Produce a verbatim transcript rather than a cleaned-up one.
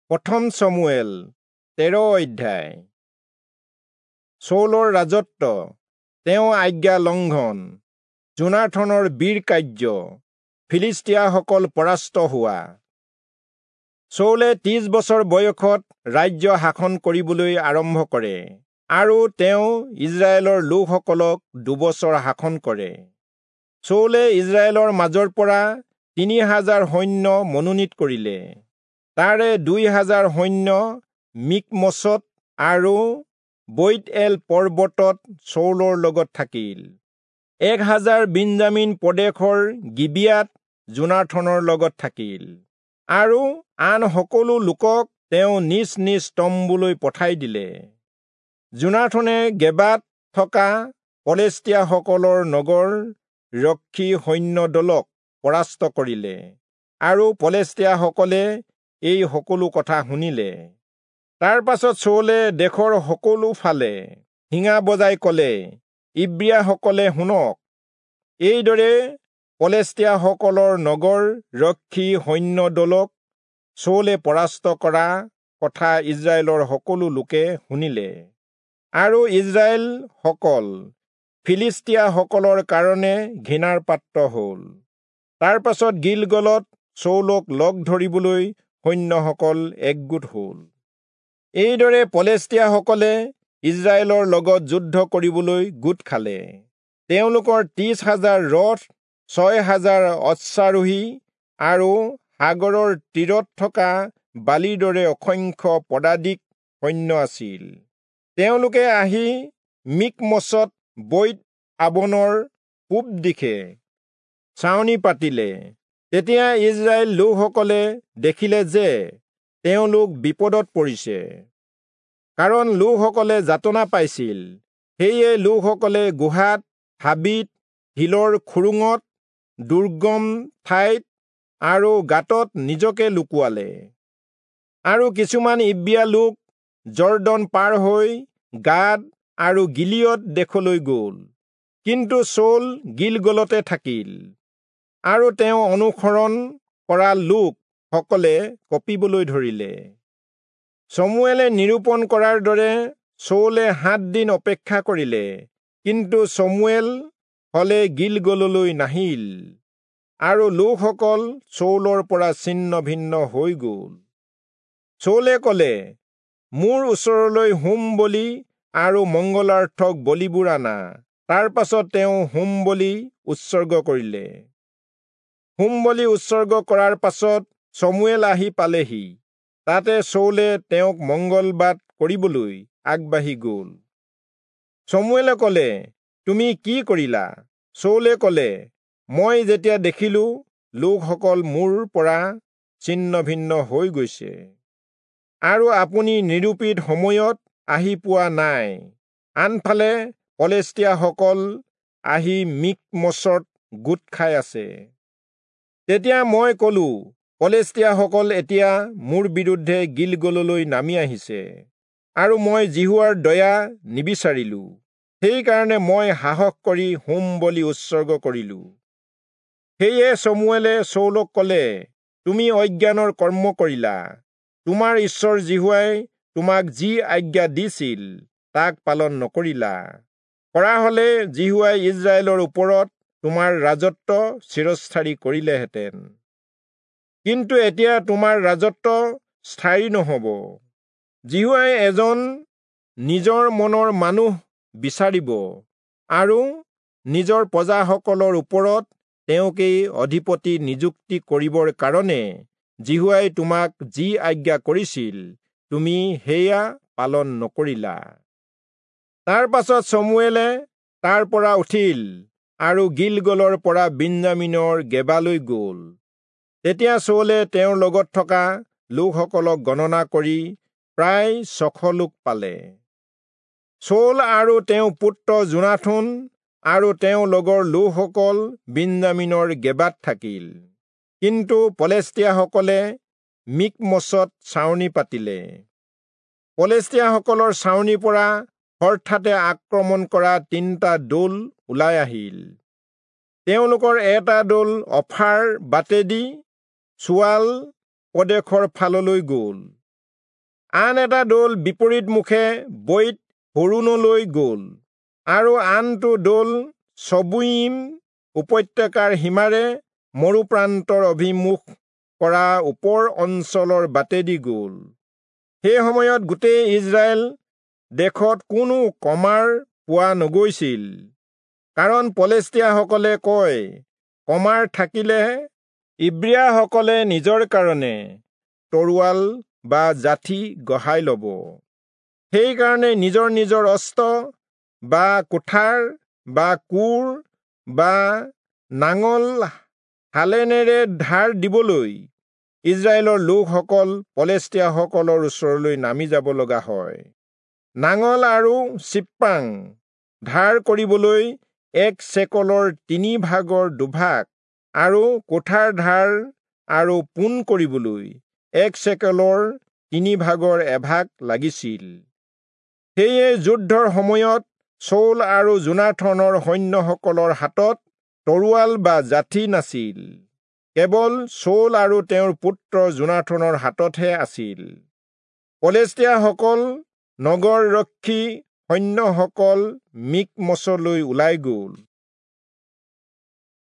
প্ৰথম চমুৱেল তেৰ অধ্যায়। চৌলৰ ৰাজত্ব, তেওঁ আজ্ঞা লংঘন, যোনাথনৰ বীৰ কাৰ্য, ফিলিষ্টীয়াসকল পৰাস্ত হোৱা। চৌলে ত্ৰিশ বছৰ বয়সত ৰাজ্য শাসন কৰিবলৈ আৰম্ভ কৰে আৰু তেওঁ ইজৰাইলৰ লোকসকলক দুবছৰ শাসন কৰে। চৌলে ইজৰাইলৰ মাজৰ পৰা তিনি হাজাৰ সৈন্য মনোনীত কৰিলে। তাৰে দুই হাজাৰ সৈন্য মিকমচত আৰু বৈৎএল পৰ্বতত চৌলৰ লগত থাকিল। এক হাজাৰ বিন্যামীন প্ৰদেশৰ গিবিয়াত যোনাথনৰ লগত থাকিল আৰু আন সকলো লোকক তেওঁ নিজ নিজ তম্বুলৈ পঠাই দিলে। যোনাথনে গেবাত থকা পলেষ্টীয়াসকলৰ নগৰ ৰক্ষী সৈন্যদলক পৰাস্ত কৰিলে আৰু পলেষ্টীয়াসকলে এই সকলো কথা শুনিলে। তাৰ পাছত চৌলে দেশৰ সকলো ফালে শিঙা বজাই কলে, ইব্ৰীয়াসকলে শুনক। এইদৰে পলেষ্টীয়াসকলৰ নগৰ ৰক্ষী সৈন্যদলক চৌলে পৰাস্ত কৰা কথা ইজৰাইলৰ সকলো লোকে শুনিলে আৰু ইজৰাইলসকল ফিলিষ্টীয়াসকলৰ কাৰণে ঘৃণাৰ পাত্ৰ হল। তাৰ পাছত গিলগলত চৌলক লগ ধৰিবলৈ সৈন্যসকল একগোট হল। এইদৰে পলেষ্টীয়াসকলে ইজৰাইলৰ লগত যুদ্ধ কৰিবলৈ গোট খালে। তেওঁলোকৰ ত্ৰিশ হাজাৰ ৰথ, ছয় হাজাৰ অশ্বাৰোহী আৰু সাগৰৰ তীৰত থকা বালিৰ দৰে অসংখ্য পদাতিক সৈন্য আছিল। তেওঁলোকে আহি মিকমচত বৈৎ আৱনৰ পূব দিশে ছাউনি পাতিলে। তেতিয়া ইজৰাইল লোকসকলে দেখিলে যে তেওঁলোক বিপদত পৰিছে, কাৰণ লোকসকলে যাতনা পাইছিল। সেয়ে লোকসকলে গুহাত, হাবিত, শিলৰ খুৰুঙত, দুৰ্গম ঠাইত আৰু গাঁতত নিজকে লুকুৱালে। আৰু কিছুমান ইব্ৰীয়া লোক যৰ্দন পাৰ হৈ গাদ আৰু গিলিয়দ দেশলৈ গ'ল। কিন্তু চৌল গিলগলতে থাকিল আৰু তেওঁ অনুসৰণ কৰা লোক সকলে কঁপিবলৈ ধৰিলে। চমুৱেলে নিৰূপণ কৰাৰ দৰে চৌলে সাত দিন অপেক্ষা কৰিলে, কিন্তু চমুৱেল হলে গিলগললৈ নাহিল আৰু লোকসকল চৌলৰ পৰা ছিন্ন ভিন্ন হৈ গ'ল। চৌলে কলে, মোৰ ওচৰলৈ হোম বলি আৰু মংগলাৰ্থক বলিবোৰ আনা। তাৰ পাছত তেওঁ হোম বলি উৎসৰ্গ কৰিলে। হোম বলি উৎসৰ্গ কৰাৰ পাছত চমুৱেল আহি পালেহি। তাতে চৌলে তেওঁক মংগলবাদ কৰিবলৈ আগবাঢ়ি গ'ল। চমুৱেলে কলে, তুমি কি কৰিলা? চৌলে কলে, মই যেতিয়া দেখিলো লোকসকল মোৰ পৰা ছিন্ন ভিন্ন হৈ গৈছে আৰু আপুনি নিৰূপিত সময়ত আহি পোৱা নাই, আনফালে পলেষ্টীয়াসকল আহি মিকমচত গোট খাই আছে, তেতিয়া মই কলো, পলেষ্টীয়াসকল এতিয়া মোৰ বিৰুদ্ধে গিলগললৈ নামি আহিছে আৰু মই যিহোৱাৰ দয়া নিবিচাৰিলো, সেইকাৰণে মই সাহস কৰি হোম বলি উৎসৰ্গ কৰিলো। সেয়ে চমুৱেলে চৌলক কলে, তুমি অজ্ঞানৰ কৰ্ম কৰিলা। তোমাৰ ঈশ্বৰ যিহোৱাই তোমাক যি আজ্ঞা দিছিল তাক পালন নকৰিলা। কৰা হলে যিহোৱাই ইজৰাইলৰ ওপৰত তোমাৰ ৰাজত্ব চিৰস্থায়ী কৰিলেহেঁতেন। কিন্তু এতিয়া তোমাৰ ৰাজত্ব স্থায়ী নহব। যিহোৱাই এজন নিজৰ মনৰ মানুহ বিচাৰিব আৰু নিজৰ প্ৰজাসকলৰ ওপৰত তেওঁকেই অধিপতি নিযুক্তি কৰিবৰ কাৰণে যিহোৱাই তোমাক যি আজ্ঞা কৰিছিল তুমি সেয়া পালন নকৰিলা। তাৰ পাছত চমুৱেলে তাৰ পৰা উঠিল আৰু গিলগলৰ পৰা বিন্যামীনৰ গেবালৈ গ'ল। তেতিয়া চৌলে তেওঁৰ লগত থকা লোকসকলক গণনা কৰি প্ৰায় ছশ লোক পালে। চৌল আৰু তেওঁৰ পুত্ৰ যোনাথন আৰু তেওঁৰ লগৰ লোকসকল বিন্যামীনৰ গেবাত থাকিল। কিন্তু পলেষ্টীয়াসকলে মিকমচত ছাউনি পাতিলে। পলেষ্টীয়াসকলৰ ছাউনিৰ পৰা হঠাতে আক্ৰমণ কৰা তিনিটা দল ওলাই আহিল। তেওঁলোকৰ এটা দল অফাৰ বাটেদি চুৱাল প্ৰদেশৰ ফাললৈ গ'ল। আন এটা দল বিপৰীতমুখে বৈৎ হোৰোণলৈ গ'ল, আৰু আনটো দল চবুইম উপত্যকাৰ সীমাৰে মৰুপ্ৰান্তৰ অভিমুখ কৰা ওপৰ অঞ্চলৰ বাটেদি গ'ল। সেই সময়ত গোটেই ইজৰাইল দেশত কোনো কমাৰ পোৱা নগৈছিল, কাৰণ পলেষ্টীয়াসকলে কয়, কমাৰ থাকিলে ইব্ৰীয়াসকলে নিজৰ কাৰণে তৰোৱাল বা যাঠি গঢ়াই ল'ব। সেইকাৰণে নিজৰ নিজৰ অস্ত্ৰ বা কুঠাৰ বা কোৰ বা নাঙল হালেনেৰে ধাৰ দিবলৈ ইজৰাইলৰ লোকসকল পলেষ্টীয়াসকলৰ ওচৰলৈ নামি যাব লগা হয়। নাঙল আৰু চিপ্ৰাং ধাৰ কৰিবলৈ এক চেকলৰ তিনি ভাগৰ দুভাগ আৰু কোঠাৰ ধাৰ আৰু পোন কৰিবলৈ এক চেকলৰ তিনি ভাগৰ এভাগ লাগিছিল। সেয়ে যুদ্ধৰ সময়ত চৌল আৰু যোনাথনৰ সৈন্যসকলৰ হাতত তৰোৱাল বা যাঠি নাছিল, কেৱল চৌল আৰু তেওঁৰ পুত্ৰ যোনাথনৰ হাততহে আছিল। পলেষ্টীয়াসকল নগৰৰক্ষী সৈন্যসকল মিকমচলৈ ওলাই গ'ল।